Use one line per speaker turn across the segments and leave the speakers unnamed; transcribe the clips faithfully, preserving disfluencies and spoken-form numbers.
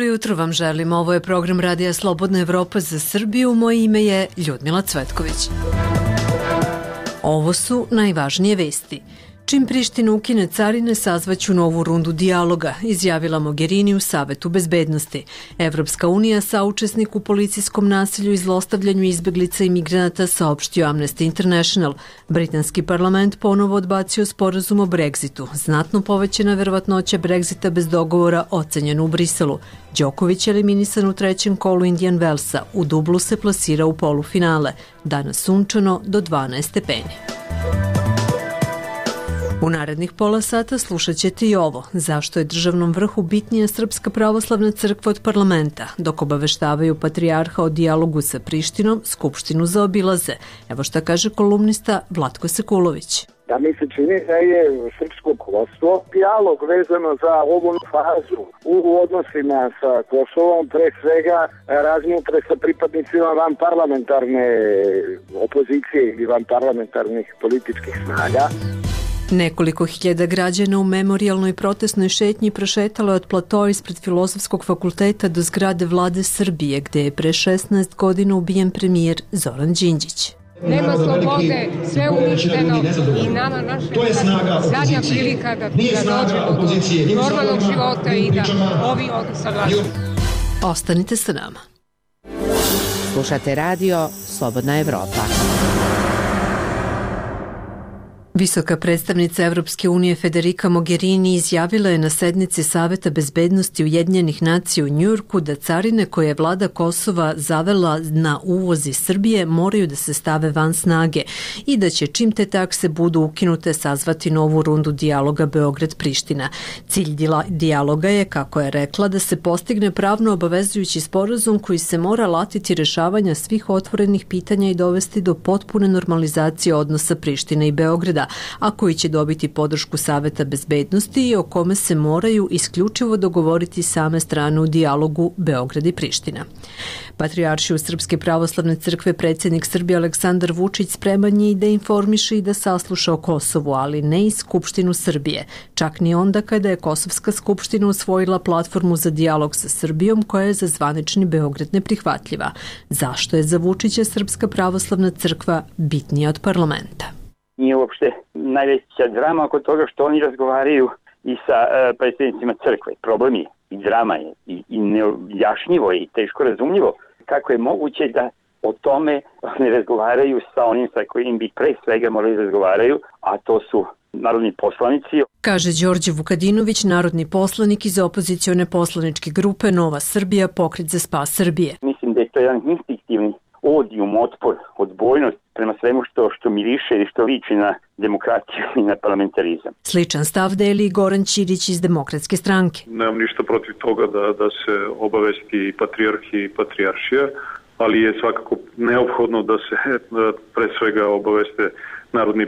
Dobro jutro vam želim. Ovo je program Radija Slobodna Evropa za Srbiju. Moje ime je Ljudmila Cvetković. Ovo su najvažnije vesti. Čim Priština ukine carine, sazvaću novu rundu dijaloga, izjavila Mogherini u Savetu bezbednosti. Evropska unija, saučesnik u policijskom nasilju i zlostavljanju izbeglica i migranata, saopštio Amnesty International. Britanski parlament ponovo odbacio sporazum o Brexitu. Znatno povećana verovatnoća Brexita bez dogovora ocenjena u Briselu. Đoković je eliminisan u trećem kolu Indian Wellsa. U dublu se plasira u polufinale. Danas sunčano do dvanaest stepeni. U narednih pola sata slušat ćete i ovo. Zašto je državnom vrhu bitnija Srpska pravoslavna crkva od parlamenta? Dok obaveštavaju patrijarha o dijalogu sa Prištinom, Skupštinu zaobilaze. Evo šta kaže kolumnista Vlatko Sekulović.
Da mi se čini da je srpsko vodstvo dijalog vezano za ovu fazu u odnosima sa Kosovom, pre svega razmutre sa pripadnicima vanparlamentarne opozicije ili vanparlamentarnih političkih snaga.
Nekoliko hiljada građana u memorijalnoj protestnoj šetnji prošetalo je od platoa ispred Filozofskog fakulteta do zgrade Vlade Srbije, gde je pre šesnaest godina ubijen premijer Zoran Đinđić.
Nema slobode, sve uništeno i nama naša zadnja prilika da, da dođemo do normalnog života i da ovi odu saglašaju.
Ostanite sa nama.
Slušate radio Slobodna Evropa.
Visoka predstavnica Evropske unije Federica Mogherini izjavila je na sednici Saveta bezbednosti Ujedinjenih nacija u Njujorku da carine koje je vlada Kosova zavela na uvoz iz Srbije moraju da se stave van snage i da će čim te takse budu ukinute sazvati novu rundu dijaloga Beograd-Priština. Cilj dijaloga je, kako je rekla, da se postigne pravno obavezujući sporazum koji se mora latiti rešavanja svih otvorenih pitanja i dovesti do potpune normalizacije odnosa Prištine i Beograda, a koji će dobiti podršku Saveta bezbednosti i o kome se moraju isključivo dogovoriti same strane u dijalogu Beograd i Priština. Patrijaršiju Srpske pravoslavne crkve predsjednik Srbije Aleksandar Vučić spreman je i da informiše i da sasluša o Kosovu, ali ne i Skupštinu Srbije, čak ni onda kada je Kosovska skupština usvojila platformu za dijalog sa Srbijom koja je za zvanični Beograd neprihvatljiva. Zašto je za Vučića Srpska pravoslavna crkva bitnija od parlamenta?
Nije uopšte najveća drama oko toga što oni razgovaraju i sa uh, predstavnicima crkve. Problem je i drama je i, i neobjašnjivo je i teško razumljivo kako je moguće da o tome ne razgovaraju sa onim sa kojim bi pre svega morali razgovaraju, a to su narodni poslanici.
Kaže Đorđe Vukadinović, narodni poslanik iz opozicione poslaničke grupe Nova Srbija, Pokret za spas Srbije.
Mislim da je to jedan instinktivni odijum, otpor, odbojnost prema svemu što, što miriše i što liči na demokratiju i na parlamentarizam.
Sličan stav deli Goran Ćirić iz Demokratske stranke.
Nemam ništa protiv toga da, da se obavesti patrijarhi i patrijaršija, ali je svakako neophodno da se da pre svega obaveste narodni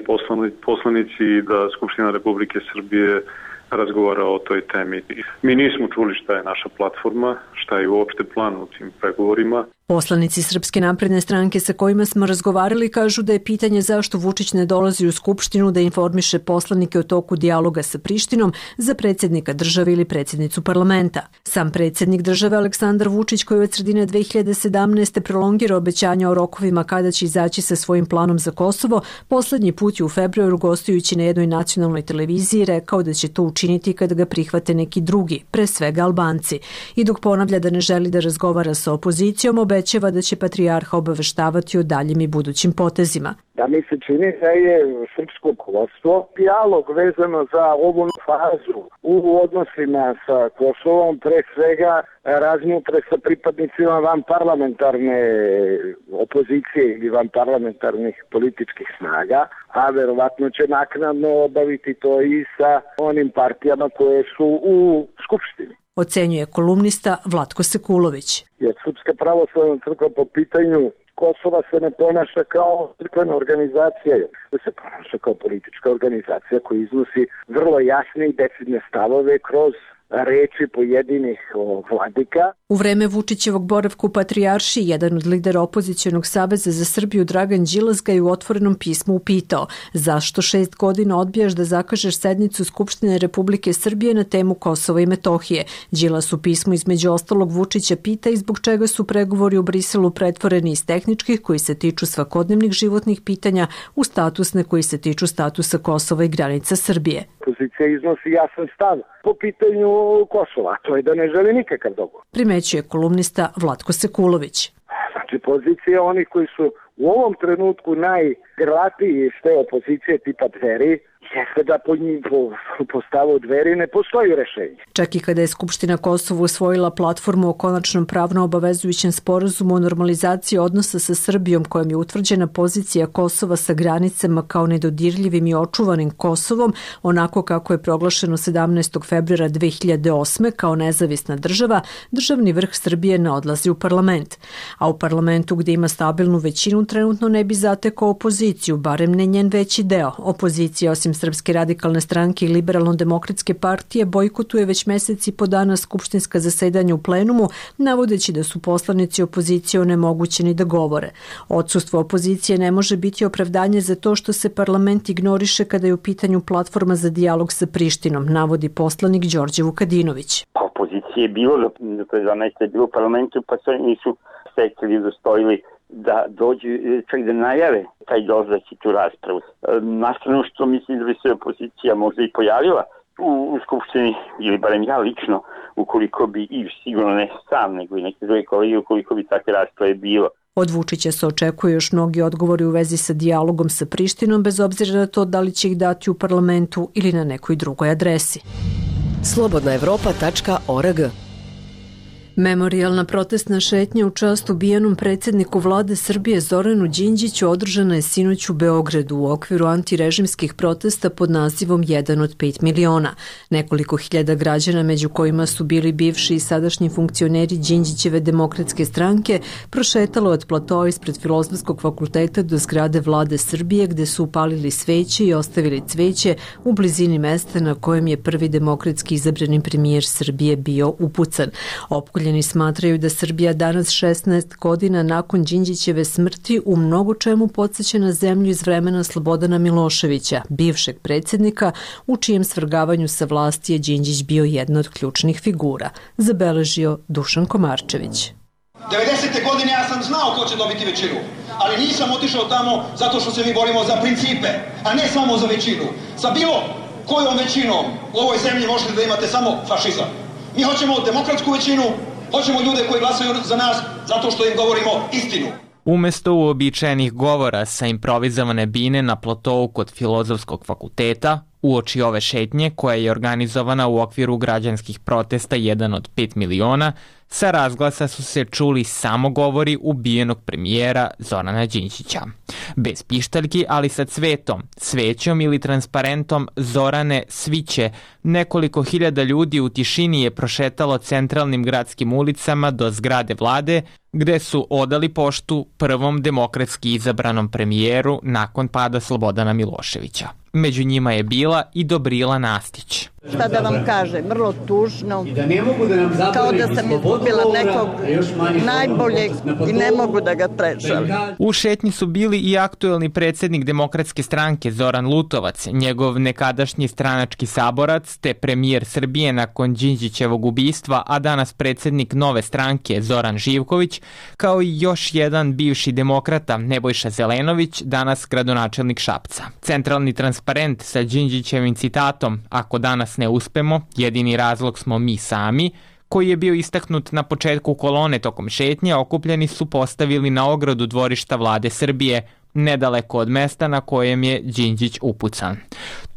poslanici i da Skupština Republike Srbije razgovara o toj temi. Mi nismo čuli šta je naša platforma, šta je uopšte plan u tim pregovorima.
Poslanici Srpske napredne stranke sa kojima smo razgovarali kažu da je pitanje zašto Vučić ne dolazi u Skupštinu da informiše poslanike o toku dijaloga sa Prištinom za predsjednika države ili predsjednicu parlamenta. Sam predsjednik države Aleksandar Vučić, koji od sredine dve hiljade sedamnaeste. prolongira obećanja o rokovima kada će izaći sa svojim planom za Kosovo, poslednji put je u februaru gostujući na jednoj nacionalnoj televiziji rekao da će to učiniti kada ga prihvate neki drugi, pre svega Albanci. I dok ponavlja da ne želi da razgovara sa opozicijom, obećava da će patrijarha obaveštavati o daljim i budućim potezima.
Da mi se čini da je srpsko vodstvo dijalog vezano za ovu fazu u odnosima sa Kosovom, pre svega razmutre sa pripadnicima vanparlamentarne opozicije ili vanparlamentarnih političkih snaga, a verovatno će naknadno obaviti to i sa onim partijama koje su u Skupštini.
Ocenjuje kolumnista Vlatko Sekulović.
Jer Srpska pravoslavna crkva po pitanju Kosova se ne ponaša kao crkvena organizacija, da se ponaša kao politička organizacija koja iznosi vrlo jasne i decidne stavove kroz reči pojedinih vladika.
U vreme Vučićevog boravka u Patrijaršiji, jedan od lidera opozicionog saveza za Srbiju, Dragan Đilas, ga je u otvorenom pismu upitao zašto šest godina odbijaš da zakažeš sednicu Skupštine Republike Srbije na temu Kosova i Metohije. Đilas u pismu između ostalog Vučića pita i zbog čega su pregovori u Briselu pretvoreni iz tehničkih koji se tiču svakodnevnih životnih pitanja u statusne koji se tiču statusa Kosova i granica Srbije.
Opozicija iznosi jasan stav po pitanju Kosova, to je da ne želi nikakav dogovor.
Primećuje kolumnista Vlatko Sekulović.
Znači, pozicija onih koji su u ovom trenutku najgrlatiji iz te opozicije tipa Dveri, jeste da po, po, po stavu Dveri ne postoji rešenje.
Čak i kada je Skupština Kosova usvojila platformu o konačnom pravno obavezujućem sporazumu o normalizaciji odnosa sa Srbijom kojom je utvrđena pozicija Kosova sa granicama kao nedodirljivim i očuvanim Kosovom, onako kako je proglašeno sedamnaestog februara dve hiljade osme kao nezavisna država, državni vrh Srbije ne odlazi u parlament. A u parlamentu gde ima stabilnu većinu trenutno ne bi zatekao opoziciju, barem ne njen veći deo. Opozicija osim Srpske radikalne stranke i Liberalno-demokratske partije bojkotuje već meseci po dana skupštinska zasedanja u plenumu, navodeći da su poslanici opozicije onemogućeni da govore. Odsustvo opozicije ne može biti opravdanje za to što se parlament ignoriše kada je u pitanju platforma za dijalog sa Prištinom, navodi poslanik Đorđe Vukadinović.
Pa opozicije je bilo, do pre dva meseca je bilo u parlamentu, pa se nisu stekli, udostojili da dođu, čak da najave taj dolazak i tu raspravu. Nastrano što mislim da bi se opozicija možda i pojavila u, u Skupštini, ili barem ja lično, ukoliko bi, i sigurno ne sam, nego i neke druge kolege, ukoliko bi takve rasprave bilo.
Od Vučića se očekuje još mnogi odgovori u vezi sa dijalogom sa Prištinom, bez obzira na to da li će ih dati u parlamentu ili na nekoj drugoj adresi.
slobodna evropa tačka org.
Memorijalna protestna šetnja u čast ubijenom predsjedniku vlade Srbije Zoranu Đinđiću održana je sinoć u Beogradu u okviru antirežimskih protesta pod nazivom jedan od pet miliona. Nekoliko hiljada građana, među kojima su bili bivši i sadašnji funkcioneri Đinđićeve demokratske stranke, prošetalo od platoa ispred Filozofskog fakulteta do zgrade vlade Srbije, gde su upalili sveće i ostavili cveće u blizini mesta na kojem je prvi demokratski izabrani premijer Srbije bio upucan. Opkoljeni smatraju da Srbija danas šesnaest godina nakon Đinđićeve smrti u mnogo čemu podsjeća na zemlju iz vremena Slobodana Miloševića, bivšeg predsjednika, u čijem svrgavanju sa vlasti je Đinđić bio jedna od ključnih figura, zabeležio Dušan Komarčević.
devedesete godine ja sam znao ko će dobiti većinu, ali nisam otišao tamo zato što se mi borimo za principe, a ne samo za većinu. Sa bilo kojom većinom u ovoj zemlji možete da imate samo fašizam. Mi hoćemo demokratsku većinu, hoćemo ljude koji glasaju za nas zato što im govorimo istinu.
Umesto uobičajenih govora sa improvizovane bine na platovu kod Filozofskog fakulteta, uoči ove šetnje koja je organizovana u okviru građanskih protesta jedan od pet miliona, sa razglasa su se čuli samo govori ubijenog premijera Zorana Đinđića. Bez pištaljki, ali sa cvetom, svećom ili transparentom Zorane sviće, nekoliko hiljada ljudi u tišini je prošetalo centralnim gradskim ulicama do zgrade vlade, gde su odali poštu prvom demokratski izabranom premijeru nakon pada Slobodana Miloševića. Među njima je bila i Dobrila Nastić.
Šta da vam kažem, vrlo tužno, kao da sam izgubila nekog najboljeg i ne mogu da ga prežalim.
U šetnji su bili i aktuelni predsjednik Demokratske stranke Zoran Lutovac, njegov nekadašnji stranački saborac, te premijer Srbije nakon Đinđićevog ubistva, a danas predsjednik Nove stranke Zoran Živković, kao i još jedan bivši demokrata Nebojša Zelenović, danas gradonačelnik Šapca. Centralni transparent sa Đinđićevim citatom "Ako danas ne uspemo, jedini razlog smo mi sami", koji je bio istaknut na početku kolone tokom šetnje, okupljeni su postavili na ogradu dvorišta vlade Srbije, nedaleko od mesta na kojem je Đinđić upucan.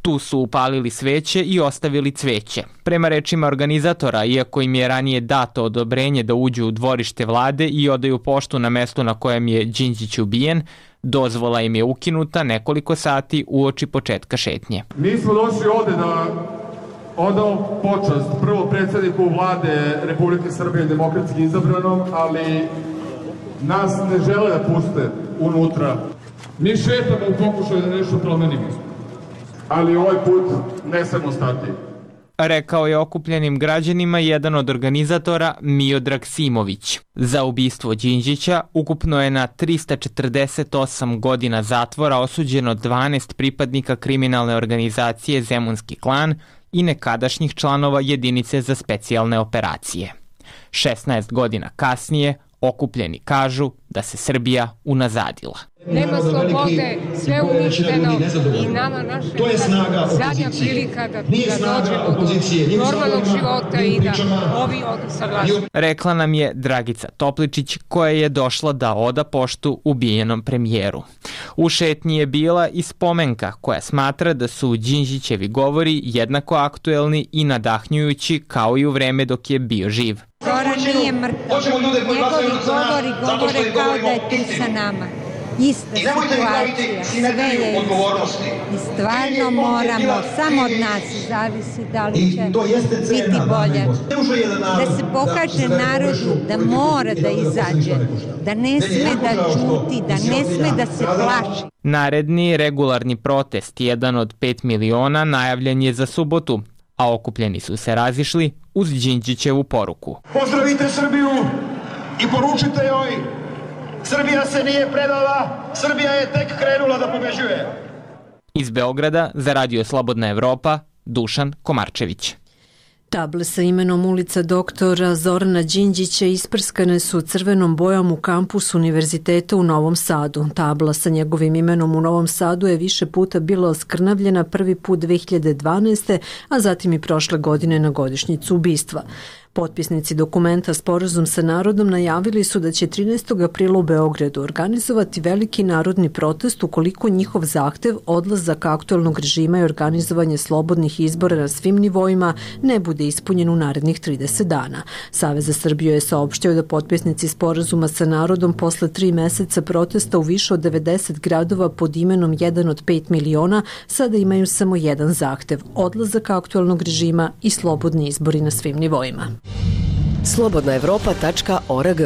Tu su upalili sveće i ostavili cveće. Prema rečima organizatora, iako im je ranije dato odobrenje da uđu u dvorište vlade i odaju poštu na mestu na kojem je Đinđić ubijen, dozvola im je ukinuta nekoliko sati uoči početka šetnje.
Mi smo došli ovde da odao počast prvo predsjedniku vlade Republike Srbije demokratski izabranom, ali nas ne žele da puste unutra. Mi šetamo u pokušaju da nešto promenimo, ali ovaj put ne samo stati.
rekao je okupljenim građanima jedan od organizatora Miodrag Simović. Za ubistvo Đinđića ukupno je na trista četrdeset osam godina zatvora osuđeno dvanaest pripadnika kriminalne organizacije Zemunski klan i nekadašnjih članova jedinice za specijalne operacije. šesnaest godina kasnije okupljeni kažu da se Srbija unazadila.
Nema slobode, sve uništeno i nama naša zadnja prilika da, da dođemo do normalnog života i da ovi odu sa vlasti.
Rekla nam je Dragica Topličić koja je došla da oda poštu ubijenom premijeru. U šetnji je bila i spomenka koja smatra da su Đinđićevi govori jednako aktuelni i nadahnjujući kao i u vreme dok je bio živ.
Zoran nije mrtav. Njegovi govori govore kao da je tu sa nama. Ista situacija, sve je i stvarno moramo, samo od nas zavisi da li će biti bolje. Da se pokaže narodu da mora da izađe, da ne sme da ćuti, da ne sme da se plaši.
Naredni regularni protest, jedan od pet miliona, najavljen je za subotu, a okupljeni su se razišli uz Đinđićevu poruku.
Pozdravite Srbiju i poručite joj: Srbija se nije predala, Srbija je tek krenula da pobeđuje.
Iz Beograda za Radio Slobodna Evropa, Dušan Komarčević.
Table sa imenom ulica doktora Zorana Đinđića isprskane su crvenom bojom u kampusu Univerziteta u Novom Sadu. Tabla sa njegovim imenom u Novom Sadu je više puta bila oskrnavljena, prvi put dve hiljade dvanaeste. a zatim i prošle godine na godišnjicu ubistva. Potpisnici dokumenta Sporazum sa narodom najavili su da će trinaestog aprila u Beogradu organizovati veliki narodni protest ukoliko njihov zahtev, odlazak aktuelnog režima i organizovanje slobodnih izbora na svim nivoima ne bude ispunjen u narednih trideset dana. Savez za Srbiju je saopštio da potpisnici Sporazuma sa narodom posle tri meseca protesta u više od devedeset gradova pod imenom jedan od pet miliona sada imaju samo jedan zahtev, odlazak aktuelnog režima i slobodni izbori na svim nivoima.
slobodna evropa tačka org.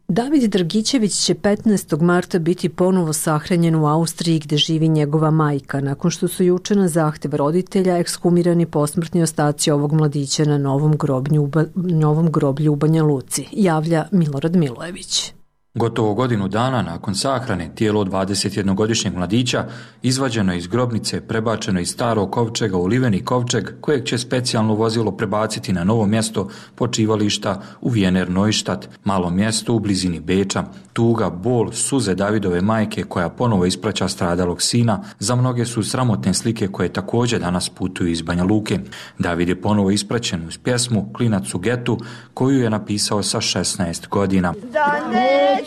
David Dragičević će petnaestog marta biti ponovo sahranjen u Austriji gde živi njegova majka, nakon što su juče na zahtev roditelja ekshumirani posmrtni ostaci ovog mladića na novom, grobnju, novom groblju u Banja Luci, javlja Milorad Milojević.
Gotovo godinu dana nakon sahrane tijelo dvadesetjednogodišnjeg mladića izvađeno iz grobnice, prebačeno iz starog kovčega u liveni kovčeg kojeg će specijalno vozilo prebaciti na novo mjesto počivališta u Wiener Neustadt, malom mjestu u blizini Beča. Tuga, bol, suze Davidove majke koja ponovo ispraća stradalog sina za mnoge su sramotne slike koje također danas putuju iz Banja Luke. David je ponovo ispraćen uz pjesmu Klinac u getu koju je napisao sa šesnaest godina.
Da neću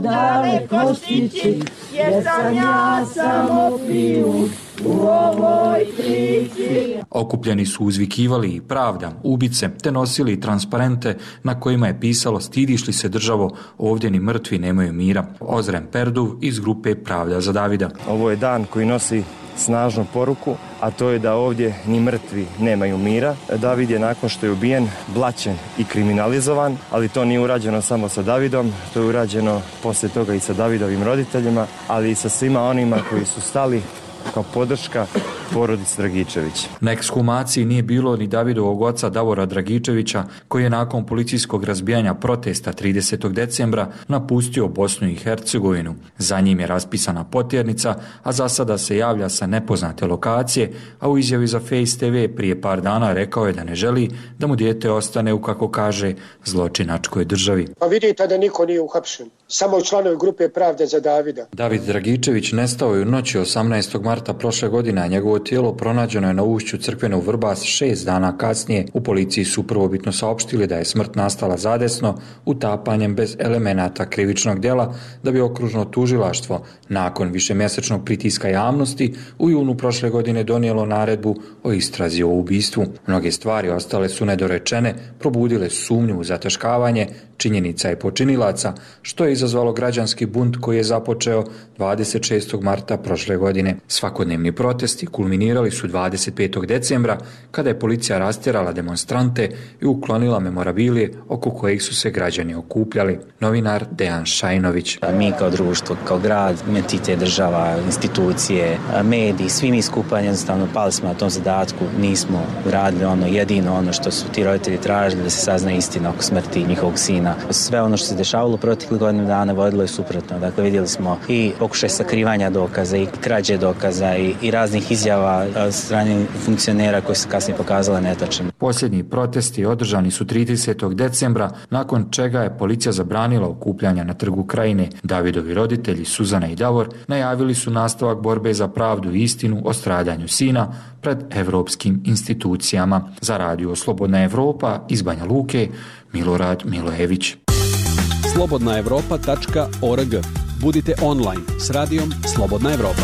daleko stići, jer sam ja samo pijun u ovoj priči.
Okupljeni su uzvikivali i pravda, ubice, te nosili transparente na kojima je pisalo stidiš li se državo, ovdje ni mrtvi nemaju mira. Ozren Perduv iz grupe Pravda za Davida.
Ovo je dan koji nosi snažnu poruku, a to je da ovdje ni mrtvi nemaju mira. David je nakon što je ubijen blaćen i kriminalizovan, ali to nije urađeno samo sa Davidom, to je urađeno poslije toga i sa Davidovim roditeljima, ali i sa svima onima koji su stali kao podrška porodici Dragičević.
Na ekshumaciji nije bilo ni Davidovog oca Davora Dragičevića, koji je nakon policijskog razbijanja protesta tridesetog decembra napustio Bosnu i Hercegovinu. Za njim je raspisana potjernica, a za sada se javlja sa nepoznate lokacije, a u izjavi za Face te ve prije par dana rekao je da ne želi da mu dijete ostane u, kako kaže, zločinačkoj državi.
Pa vidite da niko nije uhapšen, samo članovi grupe Pravde za Davida.
David Dragičević nestao je u noći osamnaestog marta prošle godine, a njegovo tijelo pronađeno je na ušću crkvene u Vrbas šest dana kasnije. U policiji su prvobitno saopštili da je smrt nastala zadesno, utapanjem bez elemenata krivičnog djela, da bi okružno tužilaštvo nakon višemjesečnog pritiska javnosti u junu prošle godine donijelo naredbu o istrazi o ubistvu. Mnoge stvari ostale su nedorečene, probudile sumnju u zataškavanje činjenica i počinilaca, što je izazvalo građanski bunt koji je započeo dvadeset šestog marta prošle godine. Svakodnevni protesti kulminirali su dvadeset petog decembra kada je policija rastjerala demonstrante i uklonila memorabilije oko kojih su se građani okupljali. Novinar Dejan Šajnović.
Mi kao društvo, kao grad, entitet, država, institucije, mediji, svi mi skupa jednostavno pali smo na tom zadatku, nismo radili ono jedino ono što su ti roditelji tražili, da se sazna istina oko smrti njihovog sina. Sve ono što se dešavalo proteklih godinu dana vodilo je suprotno. Dakle, vidjeli smo i pokušaj sakrivanja dokaza i krađe dokaza i, i raznih izjava od strane funkcionera koji su kasnije pokazale netačnim.
Posljednji protesti održani su tridesetog decembra, nakon čega je policija zabranila okupljanja na Trgu Krajine. Davidovi roditelji, Suzana i Davor, najavili su nastavak borbe za pravdu i istinu o stradanju sina pred evropskim institucijama. Za radio Slobodna Evropa iz Banja Luke, Milorad Milojević.
slobodna evropa tačka org. Budite online s radijom Slobodna Evropa.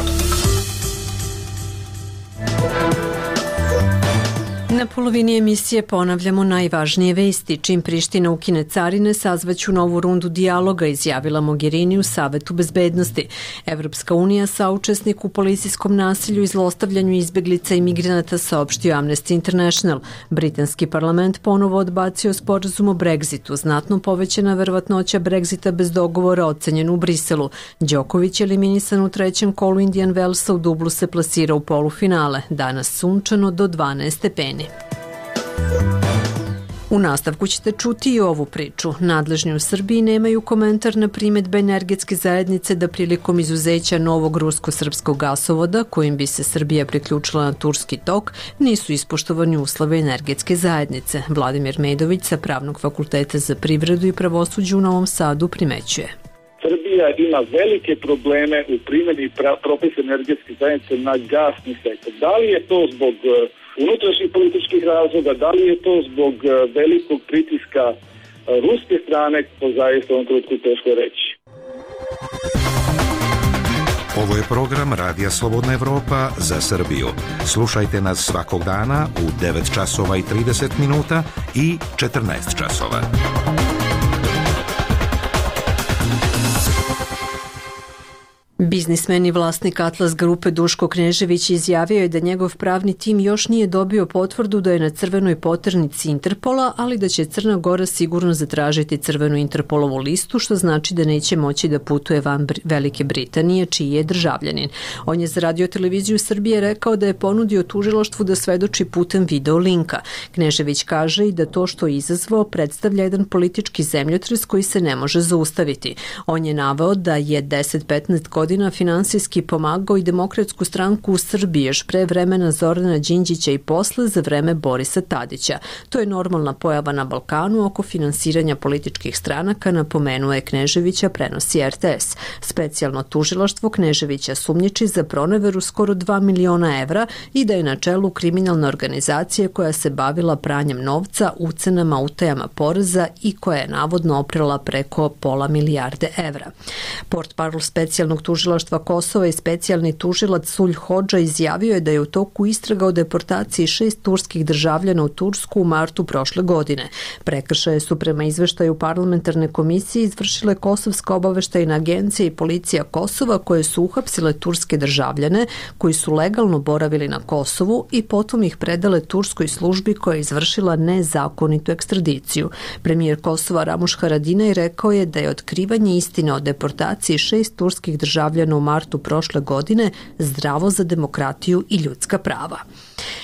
Na polovini emisije ponavljamo najvažnije vesti. Čim Priština ukine carine, sazvaću novu rundu dijaloga, izjavila Mogherini u Savetu bezbednosti. Evropska unija, saučesnik u policijskom nasilju i zlostavljanju izbeglica i migranata, saopštio Amnesty International. Britanski parlament ponovo odbacio sporazum o Brexitu. Znatno povećana verovatnoća Brexita bez dogovora ocenjen u Briselu. Đoković je eliminisan u trećem kolu Indian Wellsa, u dublu se plasira u polufinale. Danas sunčano do dvanaest stepeni. U nastavku ćete čuti i ovu priču. Nadležni u Srbiji nemaju komentar na primedbe energetske zajednice da prilikom izuzeća novog rusko-srpskog gasovoda, kojim bi se Srbija priključila na Turski tok, nisu ispoštovani uslovi energetske zajednice. Vladimir Medović sa Pravnog fakulteta za privredu i pravosuđe u Novom Sadu primećuje.
Srbija ima velike probleme u primjeni propisa energetske zajednice na gasni sektor. Da li je to zbog unutrašnjih političkih razloga, da li je to zbog velikog pritiska ruske strane, to zaista u ovom trenutku teško reći.
Ovo je program Radija Slobodna Evropa za Srbiju. Slušajte nas svakog dana u devet časova i trideset minuta i četrnaest časova.
Biznismen i vlasnik Atlas grupe Duško Knežević izjavio je da njegov pravni tim još nije dobio potvrdu da je na crvenoj poternici Interpola, ali da će Crna Gora sigurno zatražiti crvenu Interpolovu listu, što znači da neće moći da putuje van Velike Britanije, čiji je državljanin. On je za Radio televiziju Srbije rekao da je ponudio tužilaštvu da svedoči putem video linka. Knežević kaže i da to što je izazvao predstavlja jedan politički zemljotres koji se ne može zaustaviti. On je naveo da je deset do petnaest godina finansijski pomagao i Demokratsku stranku u Srbiji još pre vremena Zorana Đinđića i posle za vreme Borisa Tadića. To je normalna pojava na Balkanu oko finansiranja političkih stranaka, napomenuo je Kneževića, prenosi R T S. Specijalno tužilaštvo Kneževića sumnjiči za proneveru skoro dva miliona evra i da je na čelu kriminalne organizacije koja se bavila pranjem novca, ucenama, utajama poreza i koja je navodno oprala preko pola milijarde evra. Portparol specijalnog tužilaštva Kosova i specijalni tužilac Sulj Hodža izjavio je da je u toku istraga o deportaciji šest turskih državljana u Tursku u martu prošle godine. Prekršaje su prema izveštaju parlamentarne komisije izvršile Kosovska obaveštajna agencija i policija Kosova, koje su uhapsile turske državljane koji su legalno boravili na Kosovu i potom ih predale turskoj službi koja je izvršila nezakonitu ekstradiciju. Premijer Kosova Ramuš Haradinaj rekao je da je otkrivanje istine o deportaciji šest turskih državljana u martu prošle godine zdravo za demokratiju i ljudska prava.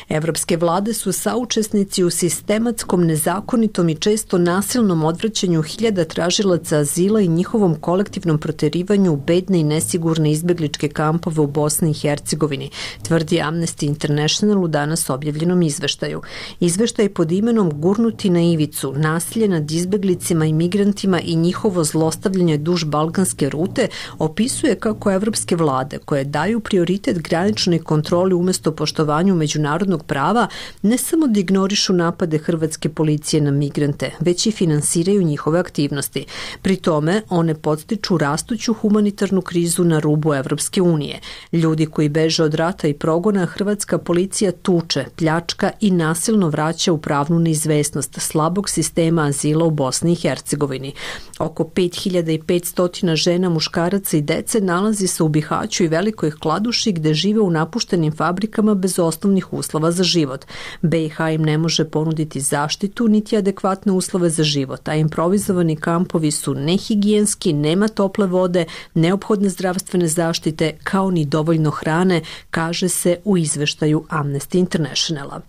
Evropske vlade su saučesnici u sistematskom, nezakonitom i često nasilnom odvraćanju hiljada tražilaca azila i njihovom kolektivnom proterivanju u bedne i nesigurne izbegličke kampove u Bosni i Hercegovini, tvrdi Amnesty International u danas objavljenom izveštaju. Izveštaj pod imenom Gurnuti na ivicu, nasilje nad izbeglicima i migrantima i njihovo zlostavljanje duž balkanske rute opisuje kako evropske vlade, koje daju prioritet graničnoj kontroli umesto poštovanju međunarodnog međunarodnog prava ne samo da ignorišu napade hrvatske policije na migrante, već i finansiraju njihove aktivnosti. Pri tome, one podstiču rastuću humanitarnu krizu na rubu Evropske unije. Ljudi koji beže od rata i progona, hrvatska policija tuče, pljačka i nasilno vraća u pravnu neizvesnost slabog sistema azila u Bosni i Hercegovini. Oko pet hiljada petsto žena, muškaraca i dece nalazi se u Bihaću i Velikoj Kladuši gde žive u napuštenim fabrikama bez osnovnih uslova za život. be i ha im ne može ponuditi zaštitu niti adekvatne uslove za život, a improvizovani kampovi su nehigijenski, nema tople vode, neophodne zdravstvene zaštite kao ni dovoljno hrane, kaže se u izveštaju Amnesty Internationala.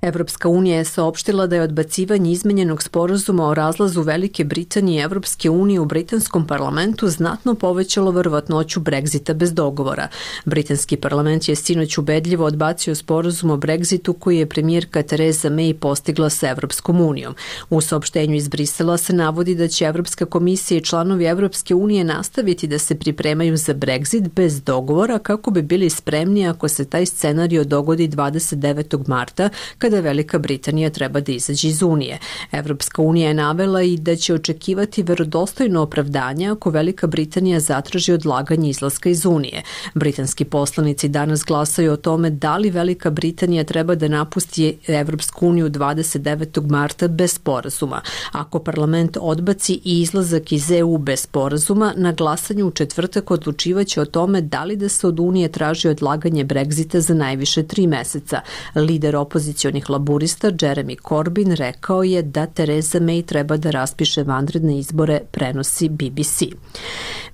Evropska unija je saopštila da je odbacivanje izmenjenog sporazuma o razlazu Velike Britanije i Evropske unije u britanskom parlamentu znatno povećalo verovatnoću Brexita bez dogovora. Britanski parlament je sinoć ubedljivo odbacio sporazum o Brexitu koji je premijerka Theresa May postigla sa Evropskom unijom. U saopštenju iz Brisela se navodi da će Evropska komisija i članovi Evropske unije nastaviti da se pripremaju za Brexit bez dogovora kako bi bili spremni ako se taj scenario dogodi dvadeset devetog marta, kada Velika Britanija treba da izađe iz Unije. Evropska unija je navela i da će očekivati verodostojno opravdanje ako Velika Britanija zatraži odlaganje izlaska iz Unije. Britanski poslanici danas glasaju o tome da li Velika Britanija treba da napusti Evropsku uniju dvadeset devetog marta bez sporazuma. Ako parlament odbaci i izlazak iz e u bez sporazuma, na glasanju u četvrtak odlučivaće o tome da li da se od Unije traži odlaganje Brexita za najviše tri meseca. Lider opozicionih laburista Jeremy Corbyn rekao je da Theresa May treba da raspiše vanredne izbore, prenosi be be ce.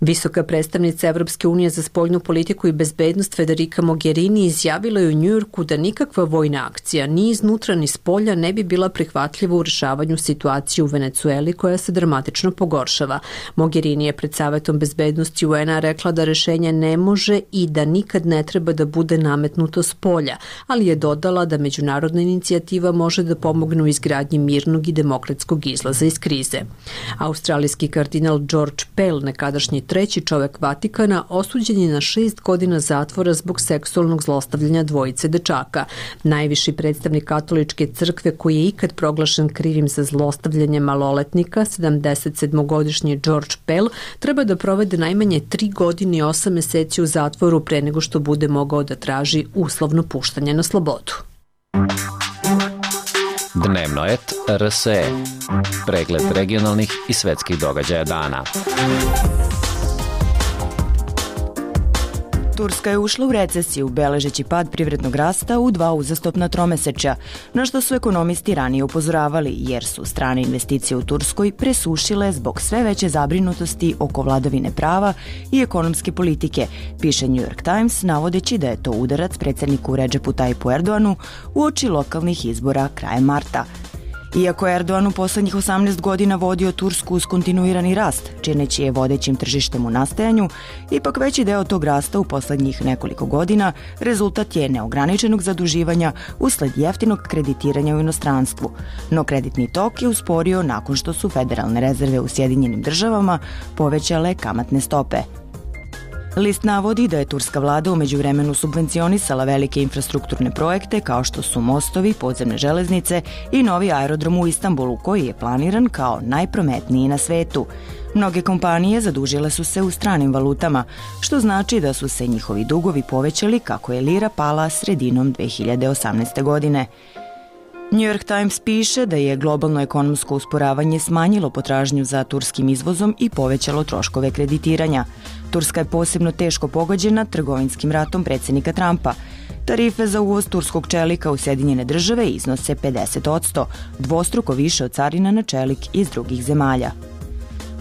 Visoka predstavnica Evropske unije za spoljnu politiku i bezbednost Federica Mogherini izjavila je u Njujorku da nikakva vojna akcija ni iznutra ni spolja ne bi bila prihvatljiva u rešavanju situacije u Venecueli koja se dramatično pogoršava. Mogherini je pred Savetom bezbednosti u en a rekla da rešenje ne može i da nikad ne treba da bude nametnuto spolja, ali je dodala da međunarodna inicijativa može da pomogne u izgradnji mirnog i demokratskog izlaza iz krize. Australijski kardinal George Pell, nekadašnji treći čovek Vatikana, osuđen je na šest godina zatvora zbog seksualnog zlostavljanja dvojice dečaka. Najviši predstavnik katoličke crkve koji je ikad proglašen krivim za zlostavljanje maloletnika, sedamdesetsedmogodišnji George Pell, treba da provede najmanje tri godine i osam meseci u zatvoru pre nego što bude mogao da traži uslovno puštanje na slobodu.
Dnevno et er es e. Pregled regionalnih i svetskih događaja dana.
Turska je ušla u recesiju, beležeći pad privrednog rasta u dva uzastopna tromesečja, na što su ekonomisti ranije upozoravali, jer su strane investicije u Turskoj presušile zbog sve veće zabrinutosti oko vladavine prava i ekonomske politike, piše New York Times, navodeći da je to udarac predsjedniku Redžepu Tajipu Erdoanu uoči lokalnih izbora krajem marta. Iako je Erdogan u poslednjih osamnaest godina vodio Tursku uz kontinuirani rast, čineći je vodećim tržištem u nastajanju, ipak veći deo tog rasta u poslednjih nekoliko godina rezultat je neograničenog zaduživanja usled jeftinog kreditiranja u inostranstvu. No kreditni tok je usporio nakon što su federalne rezerve u Sjedinjenim državama povećale kamatne stope. List navodi da je turska vlada u međuvremenu subvencionisala velike infrastrukturne projekte kao što su mostovi, podzemne železnice i novi aerodrom u Istanbulu koji je planiran kao najprometniji na svetu. Mnoge kompanije zadužile su se u stranim valutama, što znači da su se njihovi dugovi povećali kako je lira pala sredinom dve hiljade osamnaeste. godine. New York Times piše da je globalno ekonomsko usporavanje smanjilo potražnju za turskim izvozom i povećalo troškove kreditiranja. Turska je posebno teško pogođena trgovinskim ratom predsjednika Trumpa. Tarife za uvoz turskog čelika u Sjedinjene države iznose pedeset posto, dvostruko više od carina na čelik iz drugih zemalja.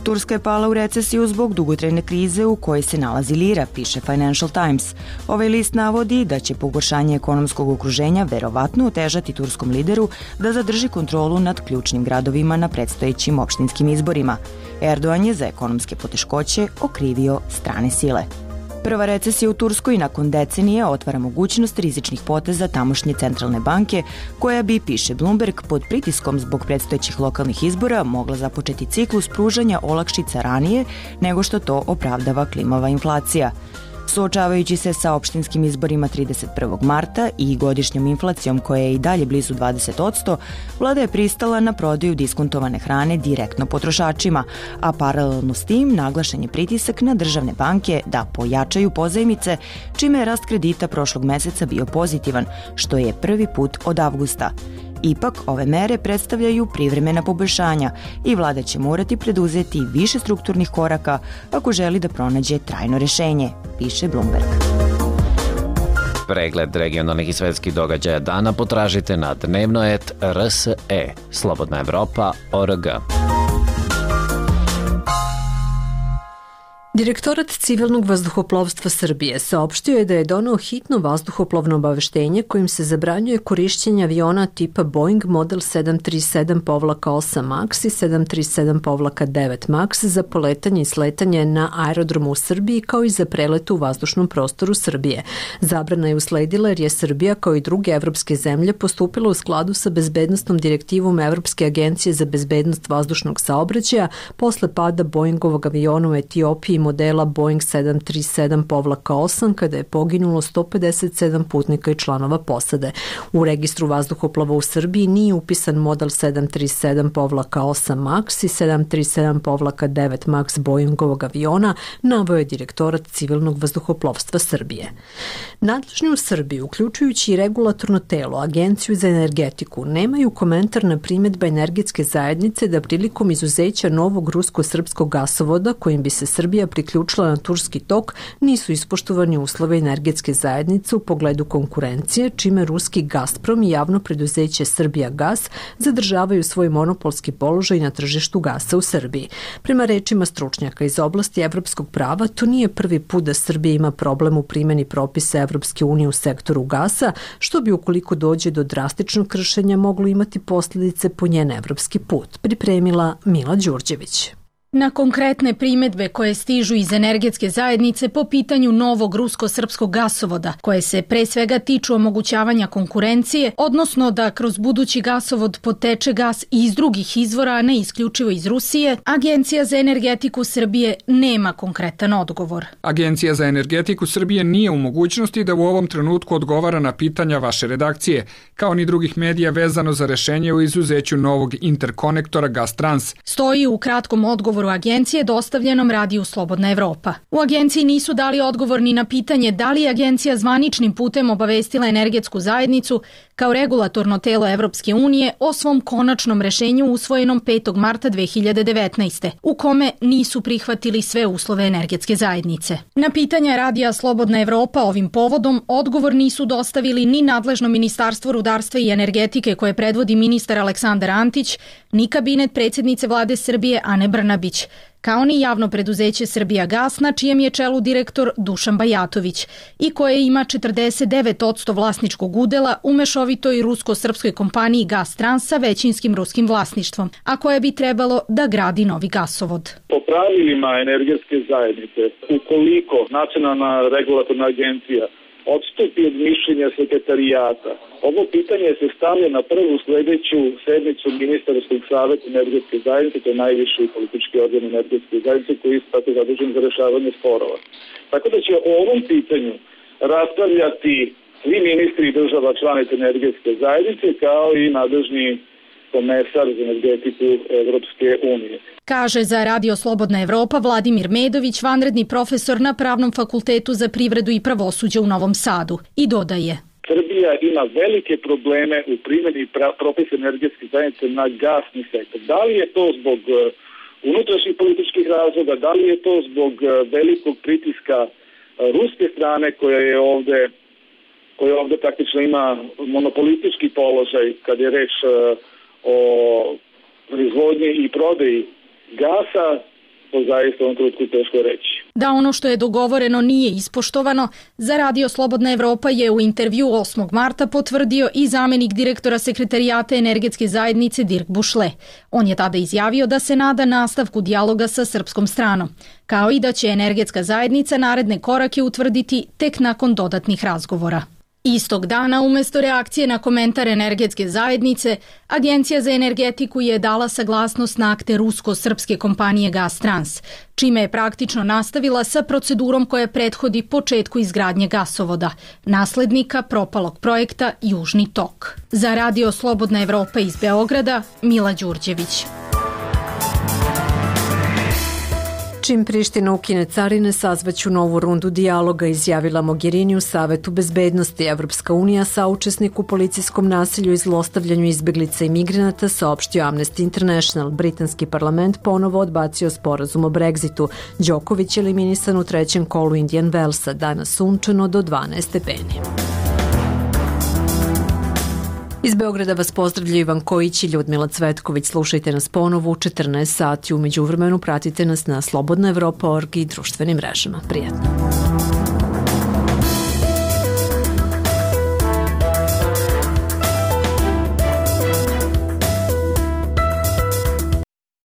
Turska je pala u recesiju zbog dugotrajne krize u kojoj se nalazi lira, piše Financial Times. Ovaj list navodi da će pogoršanje ekonomskog okruženja verovatno otežati turskom lideru da zadrži kontrolu nad ključnim gradovima na predstojećim opštinskim izborima. Erdogan je za ekonomske poteškoće okrivio strane sile. Prva recesija u Turskoj nakon decenije otvara mogućnost rizičnih poteza tamošnje centralne banke, koja bi, piše Bloomberg, pod pritiskom zbog predstojećih lokalnih izbora mogla započeti ciklus pružanja olakšica ranije nego što to opravdava klimava inflacija. Suočavajući se sa opštinskim izborima trideset prvog marta i godišnjom inflacijom koja je i dalje blizu dvadeset posto, vlada je pristala na prodaju diskontovane hrane direktno potrošačima, a paralelno s tim naglašen je pritisak na državne banke da pojačaju pozajmice, čime je rast kredita prošlog meseca bio pozitivan, što je prvi put od avgusta. Ipak, ove mere predstavljaju privremena poboljšanja i vlada će morati preduzeti više strukturnih koraka ako želi da pronađe trajno rešenje, piše Bloomberg.
Pregled regionalnih i svetskih događaja dana potražite na dnevnoet R S E, Slobodna Evropa, O R G.
Direktorat civilnog vazduhoplovstva Srbije saopštio je da je doneo hitno vazduhoplovno obaveštenje kojim se zabranjuje korišćenje aviona tipa Boeing model sedam tri sedam osam Max i sedam tri sedam devet Max za poletanje i sletanje na aerodromu u Srbiji kao i za prelet u vazdušnom prostoru Srbije. Zabrana je usledila jer je Srbija kao i druge evropske zemlje postupila u skladu sa bezbednostnom direktivom Evropske agencije za bezbednost vazdušnog saobraćaja posle pada Boeingovog aviona u Etiopiji modela Boeing sedam tri sedam osam kada je poginulo sto pedeset sedam putnika i članova posade. U registru vazduhoplova u Srbiji nije upisan model sedam tri sedam osam Max i sedam tri sedam devet Max Boeingovog aviona, naveo je Direktorat civilnog vazduhoplovstva Srbije. Nadležni u Srbiji, uključujući i regulatorno telo, Agenciju za energetiku, nemaju komentar na primjedba energetske zajednice da prilikom izuzeća novog rusko-srpskog gasovoda kojim bi se Srbija priključila na Turski tok nisu ispoštovani uslove energetske zajednice u pogledu konkurencije, čime ruski Gazprom i javno preduzeće Srbija gas zadržavaju svoj monopolski položaj na tržištu gasa u Srbiji. Prema rečima stručnjaka iz oblasti evropskog prava, to nije prvi put da Srbija ima problem u primjeni propisa Evropske unije u sektoru gasa, što bi ukoliko dođe do drastičnog kršenja moglo imati posljedice po njen evropski put, pripremila Mila Đurđević.
Na konkretne primedbe koje stižu iz energetske zajednice po pitanju novog rusko-srpskog gasovoda, koje se pre svega tiču omogućavanja konkurencije, odnosno da kroz budući gasovod poteče gas iz drugih izvora, a ne isključivo iz Rusije, Agencija za energetiku Srbije nema konkretan odgovor.
Agencija za energetiku Srbije nije u mogućnosti da u ovom trenutku odgovara na pitanja vaše redakcije, kao ni drugih medija vezano za rešenje o izuzeću novog interkonektora Gastrans.
Stoji u kratkom odgovoru agencije dostavljenom radiju Slobodna Evropa. U agenciji nisu dali odgovor ni na pitanje da li je agencija zvaničnim putem obavestila energetsku zajednicu kao regulatorno telo Evropske unije o svom konačnom rešenju usvojenom petog marta dve hiljade devetnaeste. u kome nisu prihvatili sve uslove energetske zajednice. Na pitanja radija Slobodna Evropa ovim povodom odgovor nisu dostavili ni nadležno Ministarstvo rudarstva i energetike koje predvodi ministar Aleksandar Antić, ni kabinet predsjednice vlade Srbije Ane Brnabić, kao ni javno preduzeće Srbija gas na čijem je čelu direktor Dušan Bajatović i koje ima četrdeset devet posto vlasničkog udela u mešovitoj rusko-srpskoj kompaniji Gastrans sa većinskim ruskim vlasništvom, a koje bi trebalo da gradi novi gasovod.
Po pravilima energetske zajednice, ukoliko Nacionalna regulatorna agencija odstupi od mišljenja sekretarijata, ovo pitanje se stavlja na prvu sledeću sednicu Ministarskog saveta energetske zajednice, to je najviši politički organ energetske zajednice koji je tako zadužen za rešavanje sporova. Tako da će o ovom pitanju raspravljati svi ministri država članica energetske zajednice kao i nadležni komesar za energetiku Evropske unije.
Kaže za Radio Slobodna Evropa Vladimir Medović, vanredni profesor na Pravnom fakultetu za privredu i pravosuđe u Novom Sadu, i dodaje:
Srbija ima velike probleme u primjeni propisa energetske zajednice na gasni sektor. Da li je to zbog unutrašnjih političkih razloga, da li je to zbog velikog pritiska ruske strane koja je ovde koja ovde praktično ima monopolistički položaj kad je reč o proizvodnji i prodaji gasa, to zaista u ovom trenutku teško reći.
Da ono što je dogovoreno nije ispoštovano, za Radio Slobodna Evropa je u intervju osmog marta potvrdio i zamenik direktora sekretarijata energetske zajednice Dirk Bušle. On je tada izjavio da se nada nastavku dijaloga sa srpskom stranom, kao i da će energetska zajednica naredne korake utvrditi tek nakon dodatnih razgovora. Istog dana, umesto reakcije na komentar energetske zajednice, Agencija za energetiku je dala saglasnost na akte rusko-srpske kompanije Gastrans, čime je praktično nastavila sa procedurom koja prethodi početku izgradnje gasovoda, naslednika propalog projekta Južni tok. Za Radio Slobodna Evropa iz Beograda, Mila Đurđević.
Čim Priština ukine carine, sazvaću novu rundu dijaloga, izjavila Mogherini u Savetu bezbednosti. Evropska unija, saučesnik u policijskom nasilju i zlostavljanju izbeglica i migranata, saopštio Amnesty International. Britanski parlament ponovo odbacio sporazum o Brexitu. Đoković je eliminisan u trećem kolu Indian Wellsa, danas sunčano do dvanaest stepeni. Iz Beograda vas pozdravlja Ivan Kojić i Ljudmila Cvetković. Slušajte nas ponovo u četrnaest sati. U međuvremenu pratite nas na slobodna evropa tačka org i društvenim mrežama. Prijatno.